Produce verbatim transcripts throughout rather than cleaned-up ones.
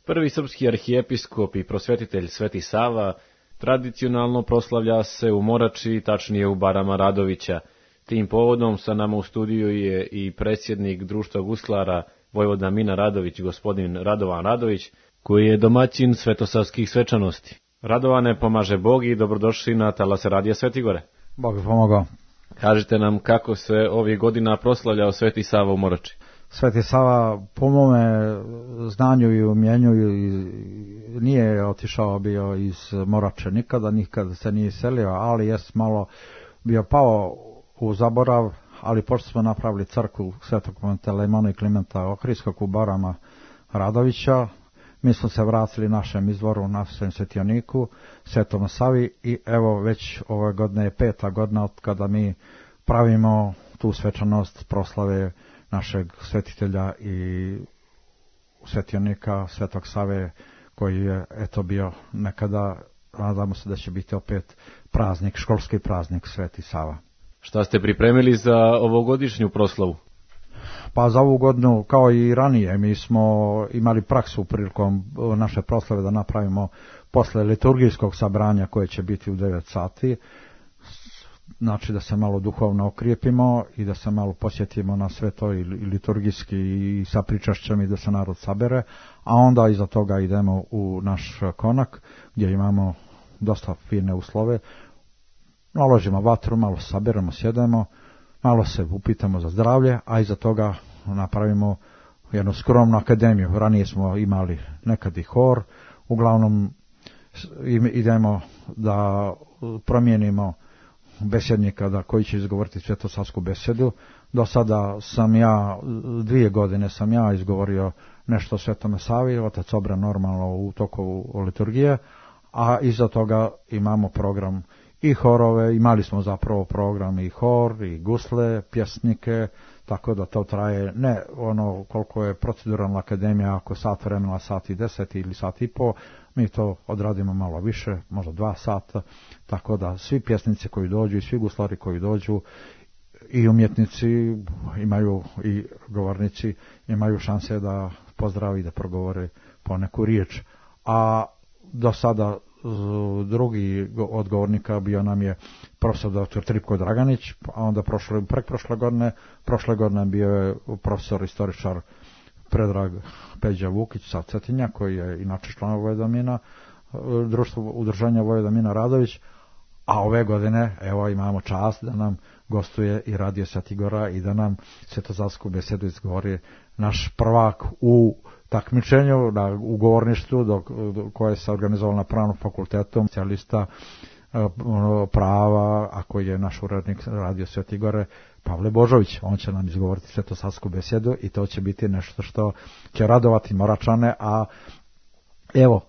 Prvi srpski arhijepiskop i prosvetitelj Sveti Sava tradicionalno proslavlja se u Morači, tačnije u barama Radovića. Tim povodom sa nama u studiju je i predsjednik Društva guslara Vojvoda Mina Radović, gospodin Radovan Radović, koji je domaćin svetosavskih svečanosti. Radovane, pomaže Bog i dobrodošli na talase Radija Svetigore. Bog pomogao. Kažite nam kako se ovih godina proslavljao Sveti Sava u Morači. Sveti Sava, po mome znanju i umjenju, nije otišao bio iz Morače nikada, nikada se nije selio, ali jest malo bio pao u zaborav, ali pošto smo napravili crkvu Svetog Pantelejmona i Klimenta Ohridskog u barama Radovića, mi smo se vratili našem izvoru, našem svetioniku, Svetom Savi, i evo već ove godine je peta godina od kada mi pravimo tu svečanost proslave našeg svetitelja i svetionika Svetog Save, koji je eto bio nekada, nadamo se da će biti opet praznik, školski praznik Sveti Sava. Šta ste pripremili za ovogodišnju proslavu? Pa za ovu godinu, kao i ranije, mi smo imali praksu prilikom naše proslave da napravimo posle liturgijskog sabranja koje će biti u devet sati, znači da se malo duhovno okrijepimo i da se malo posjetimo na sve to i liturgijski i sa pričašćem i da se narod sabere, a onda iza toga idemo u naš konak gdje imamo dosta fine uslove, naložimo vatru, malo saberemo, sjedemo, malo se upitamo za zdravlje, a iza toga napravimo jednu skromnu akademiju. Ranije smo imali nekad i hor, uglavnom idemo da promijenimo besjednika da koji će izgovoriti svetosavsku besedu. Do sada sam ja, dvije godine sam ja izgovorio nešto o Svetome Savi, otac Obran normalno u toku liturgije, a iza toga imamo program i horove, imali smo zapravo program i hor, i gusle, pjesnike, tako da to traje, ne ono koliko je proceduralna akademija, ako sat vremena, sat i deset ili sat i po, mi to odradimo malo više, možda dva sata, tako da svi pjesnici koji dođu i svi guslari koji dođu i umjetnici imaju, i govornici imaju šanse da pozdravi, da progovore poneku riječ. A do sada drugi od govornika bio nam je profesor doktor Tripko Draganić, a onda prošle, prek prošle godine, prošle godine bio je profesor istoričar Predrag Peđa Vukić sa Cetinja, koji je inače član Vojvoda Mina, društvo udruženja Vojvoda Mina Radović, a ove godine evo imamo čast da nam gostuje i Radio Svetigora i da nam svetosavsku besedu izgovori naš prvak u takmičenju na ugovorništvu do, do, koje se organizovalo na Pravnom fakultetu, specijalista prava, a koji je naš urednik Radio Svetigore, Pavle Božović. On će nam izgovoriti svetosavsku besedu i to će biti nešto što će radovati Moračane, a evo,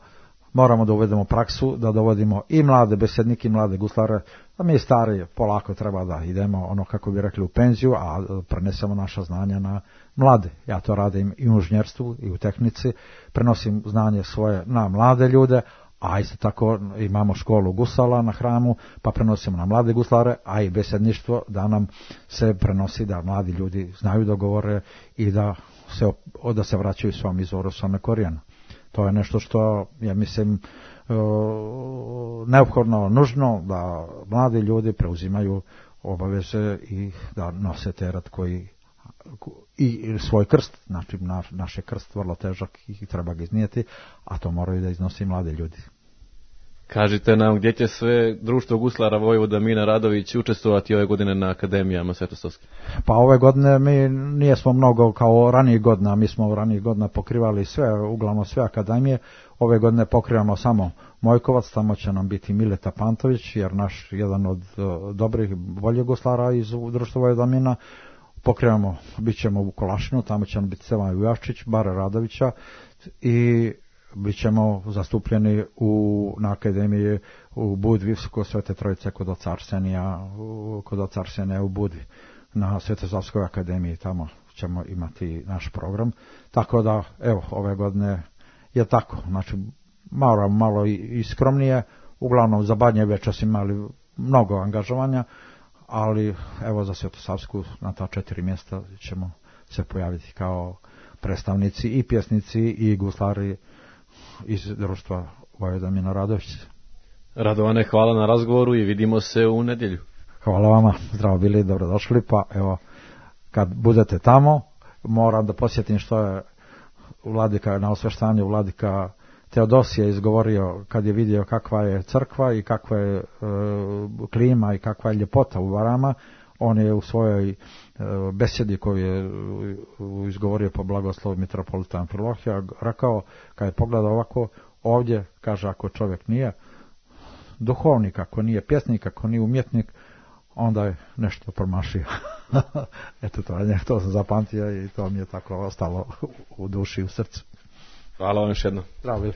moramo da uvedemo praksu, da dovodimo i mlade besednike i mlade guslare, a mi stari polako treba da idemo, ono kako bi rekli, u penziju, a prenesemo naša znanja na mlade. Ja to radim i u inženjerstvu i u tehnici, prenosim znanje svoje na mlade ljude, a isto tako imamo školu gusala na Hramu, pa prenosimo na mlade guslare, a i besedništvo da nam se prenosi, da mladi ljudi znaju da govore i da se, da se vraćaju svom izvoru, svome korijenu. To je nešto što, ja mislim, neophodno, nužno da mladi ljudi preuzimaju obaveze i da nose teret koji i svoj krst, znači naš je krst vrlo težak i treba ga iznijeti, a to moraju da iznosi mladi ljudi. Kažite nam gdje će sve Društvo guslara Vojvoda Mina Radović učestvovati ove godine na akademijama svetosavskih? Pa ove godine mi nijesmo mnogo kao ranijih godina, mi smo ranijih godina pokrivali sve, uglavnom sve akademije. Ove godine pokrivamo samo Mojkovac, tamo će nam biti Mileta Pantović, jer naš jedan od dobrih boljih guslara iz Društva Vojvoda Mina. Pokrivamo, bit ćemo u Kolašinu, tamo će nam biti Stevan Vujaščić, Bare Radovića, i bit ćemo zastupljeni u, na akademiji u Budvi, kod Svete Trojice, kod oca Arsenija, kod oca Arsenija u Budvi, na Svetosavskoj akademiji, tamo ćemo imati naš program. Tako da, evo, ove godine je tako, znači malo, malo i, i skromnije, uglavnom za Badnje večas imali mnogo angažovanja, ali evo za Svetosavsku na ta četiri mjesta ćemo se pojaviti kao predstavnici i pjesnici i guslari iz društva Vojvodina Radović. Radovane, hvala na razgovoru i vidimo se u nedjelju. Hvala vama, zdravo bili, dobrodošli, pa evo, kad budete tamo, moram da posjetim što je vladika na osveštanju vladika Teodosije izgovorio kad je vidio kakva je crkva i kakva je e, klima i kakva je ljepota u Varama. On je u svojoj e, besedi koju je izgovorio po blagoslovu mitropolita Amfilohija rekao, kad je pogledao ovako, ovdje, kaže, ako čovjek nije duhovnik, ako nije pjesnik, ako nije umjetnik, onda je nešto promašio. Eto, to, to sam zapamtio i to mi je tako ostalo u duši, u srcu. Hvala vam još jedno. Zdravo bili.